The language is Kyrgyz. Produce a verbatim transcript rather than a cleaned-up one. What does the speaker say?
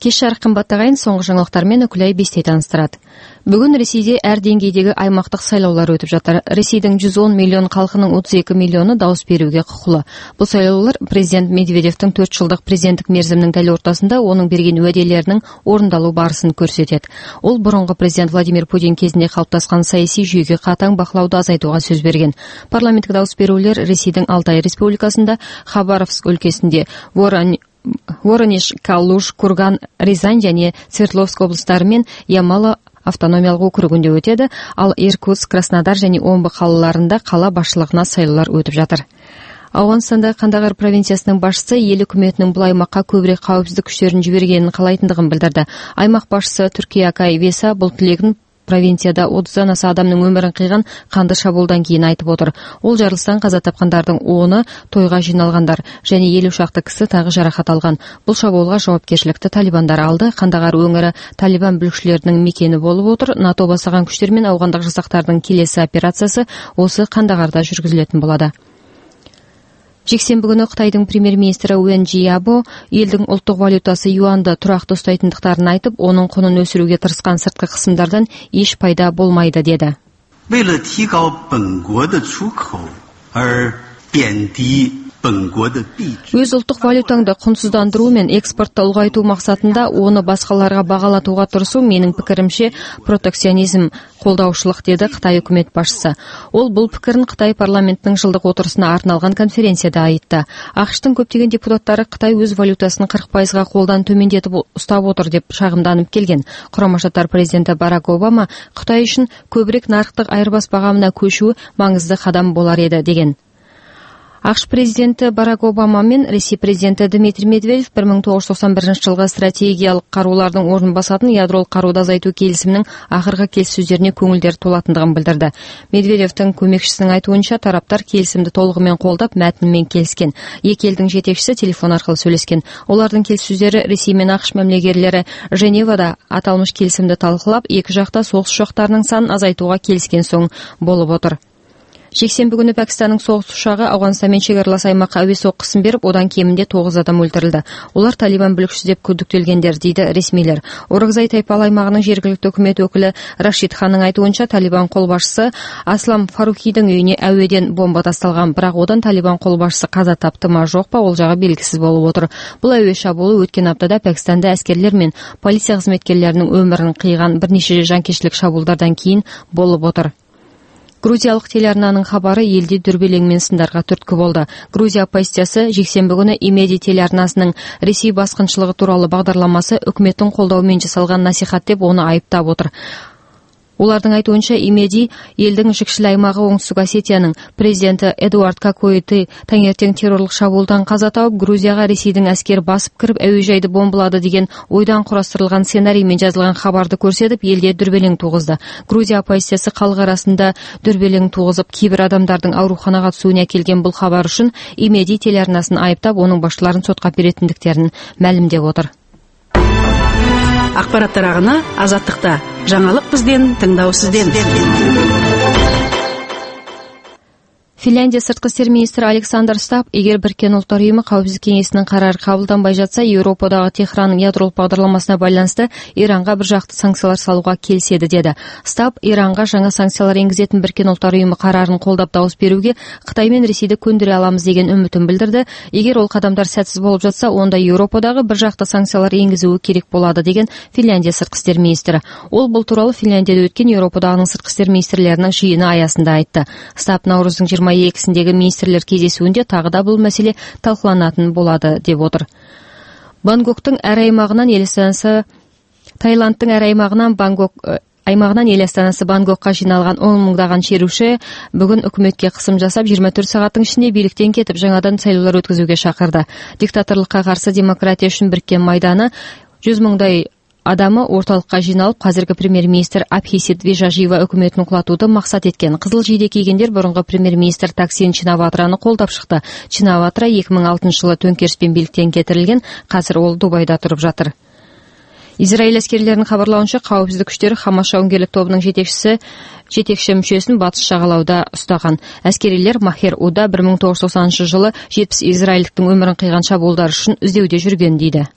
Кеш жарык кымбат агайын, соңку жаңылыктар менен Өкүлай Бестей таныстырат. Бүгүн Ресейде эр деңгейдеги аймактык шайлоолор өтүп жатыр. Ресейдин жүз он миллион калкынын отуз эки миллиону дауыс берүүгө кукулуу. Бул шайлоолор президент Медведевдин төрт жылдык президенттик мерзиминин дәл ортасында онун берген уәделеринин орундалуу барысын көрсөтөт. Ол мурунку президент Владимир Путин кезинде калыптаскан саясий жүйөгө катаң бакылауду азайтууга сөз берген. Парламенттик дауыс берүүлөр Ресейдин Алтай республикасында, Хабаровск өлкөсүндө, Ворон Воронеж, Калуш, Курган, Рязань жана Свердловск облустары менен Ямало автономиялык округунда өтөдү. Ал Иркутск, Краснодар жана Омбы калаларында кала башчылыгына шайлоолор өтүп жатыр. Афганстанда Кандагар провинциясынын башчысы эл өкмөтүнүн бул аймакка көбүрөөк каапсыздык күчтөрүн жибергенин каалайтындыгын билдирди. Аймак башчысы Түркия Акай Веса бул тилегин провинцияда отуздан аса адамдын өмүрүн кыйган канды шабуулдан кийин айтып отур. Ол жарылыштан каза тапкандардын оны тойга жиналгандар жана элүү шакты киши тагы жаракат алган. Бул шабуулга жоопкерчиликти талибандар алды. Кандагар өңүрү талибан бүлүкчүлөрүнүн мекени болуп отур. НАТО басаган күчтөр менен афгандык жасактардын келесі операциясы осы Кандагарда жүргүзүлөтүн болот. Жексенбі күнү Кытайдын премьер-министри Уэн Жиябо элдин улуттук валютасы юанды турактуу устайтындыктарын айтып, онун кунун өсүрүүгө тырышкан сырткы кысымдардан эч пайда болмайды деди. Өз улуттук валютаңды кунсуздандыруу менен экспортто улгайтуу максатында оны башкаларга багалатууга турсуу менин пикиримче протекционизм колдоушулук, деди Кытай өкмөт башчысы. Ол бул пикирин Кытай парламентинин жылдык отурусуна арналган конференцияда айтты. АКШтын көптөгөн депутаттары Кытай өз валютасын кырк пайызга колдон төмөндетип устап отур деп шагымданып келген. Курама Штаттар президенти Барак Обама Кытай үчүн көбүрөөк нарыктык айырбас багамына көчүү маңызды кадам болар эди деген. АКШ президенти Барак Обама менен Ресей президенти Дмитрий Медведев бир миң тогуз жүз токсон биринчи жылғы стратегиялык кароолордун ордун басатын ядролук кароодо азайтуу келисиминин акыркы келиссөздөрүнө көңүлдөрү толатындыгын билдирди. Медведевдин көмөкчүсүнүн айтуунча, тараптар келисимди толугу менен колдоп, мәтіні менен келишкен. Эки элдин жетекчиси телефон аркылуу сүйлөшкөн. Олардын келиссөздөрү Ресей менен АКШ мамлекеттери Женевада аталмыш келисимди талкуулап, эки жакта согуш учактарынын санын азайтууга келишкен соң болуп отур. Жексенбі күнү Пакистанның соғыс ұшағы Афганистанмен чегарлас аймаққа әуе соққысын беріп, одан кемінде тогуз адам өлтірілді. Олар Талибан бүлікшісі деп күдіктелгендер, дейді ресмилер. Орогзай тайпалы аймағының жергілікті өкімет өкілі Рашид Ханның айтуынша, Талибан қолбасшысы Аслам Фарухидің үйіне әуеден бомба тасталған, бірақ одан Талибан қолбасшысы каза тапты ма жоқ па, ол жағы белгісіз болып отыр. Бұл әуе шабуылы өткен аптада Пакистанда әскерлер мен полиция қызметкерлерінің өмірін қиған бірнеше жанкештілік шабуылдардан кейін болып отыр. Грузиялык телеарнанын хабары элди дүрбелең менен сындарга түрткү болду. Грузия оппозициясы жексенбі күнү Имеди телеарнасынын Ресей баскынчылыгы тууралуу багдарламасы өкмөттүн колдоо менен жасалган насихат деп оны айыптап отур. Улардын айтуынча, Имеди элдин жикшил аймагы Оңтүстүк Осетиянын президенти Эдуард Кокойты таңертең террорлук шабуулдан каза тауып, Грузияга Ресейдин аскери басып кирип, әуежайды бомбалады деген ойдан курастырылган сценарий менен жазылган хабарды көрсөтүп, элде дүрбелең тугузду. Грузия оппозициясы калк арасында дүрбелең тугузуп, кийбир адамдардын ооруканага түсүүнү келген бул хабар үчүн Имеди телеарнасын айыптап, онун башчыларын сотко беретиндиктерин маалимдеп отур. Акпараттар агына Азаттыкта. Жаңалык бизден, тыңдоо сизден. Финляндия сырткы иштер министри Александр Стаб, эгер Бириккен Улуттар уюму Коопсуздук кеңесинин карары кабылданбай жатса, Европадагы Техрандын ядролук багдарламасына байланыштуу Иранга бир жакты санкциялар салууга келишеди, деди. Стаб Иранга жаңа санкциялар энгизетін Бириккен Улуттар уюму карарын колдоп дауыс берүүгө Кытай менен Ресейди көндүрө аламыз деген үмүтүн билдирди. Эгер ол кадамдар сәтсиз болуп жатса, онда Европадагы бир жакты санкциялар энгизүү керек болот, деген Финляндия сырткы иштер министри. Ол бул тууралуу Финляндияда өткөн Европадагы сырткы иштер министрлеринин жыйыны аясында айтты. Стаб Наурыздын жыйырма экисиндеги министрлер кездесүүндө тагы да бул маселе талкууланатын болот деп отур. Бангкоктун әр аймагынан эл астанасы Таиландтын әр аймагынан Бангкок аймагынан эл астанасы Бангкокко жиналган он миңдаган черуши бүгүн өкмөткө кысым жасап, жыйырма төрт сааттын ичинде бийликтен кетип, жаңадан шайлоолор өткөзүүгө чакырды. Диктаторлукка каршы демократия үчүн бириккен майданы жүз миңдай адамы орталыкка жиналып, казыркы премьер-министр Абхисит Вежажива өкмөтүн кулатууду максат эткен. Кызыл жийде кийгендер мурунку премьер-министр Таксин Чинаватраны колдоп чыкты. Чинаватра эки миң алтынчы жылы төңкеришпен бийликтен кетирилген, азыр ол Дубайда туруп жатыр. Израиль аскерлеринин кабарлауынча, коопсуздук күчтөрү Хамас жауынгерлик тобунун жетекчиси жетекчи мүчөсүн батыш чагалауда устаган. Аскерилер Махер Уда бир миң тогуз жүз токсонунчу жылы жетимиш израилдиктин өмүрүн кыйган чабуулдар үчүн издөөдө жүргөн, дейди.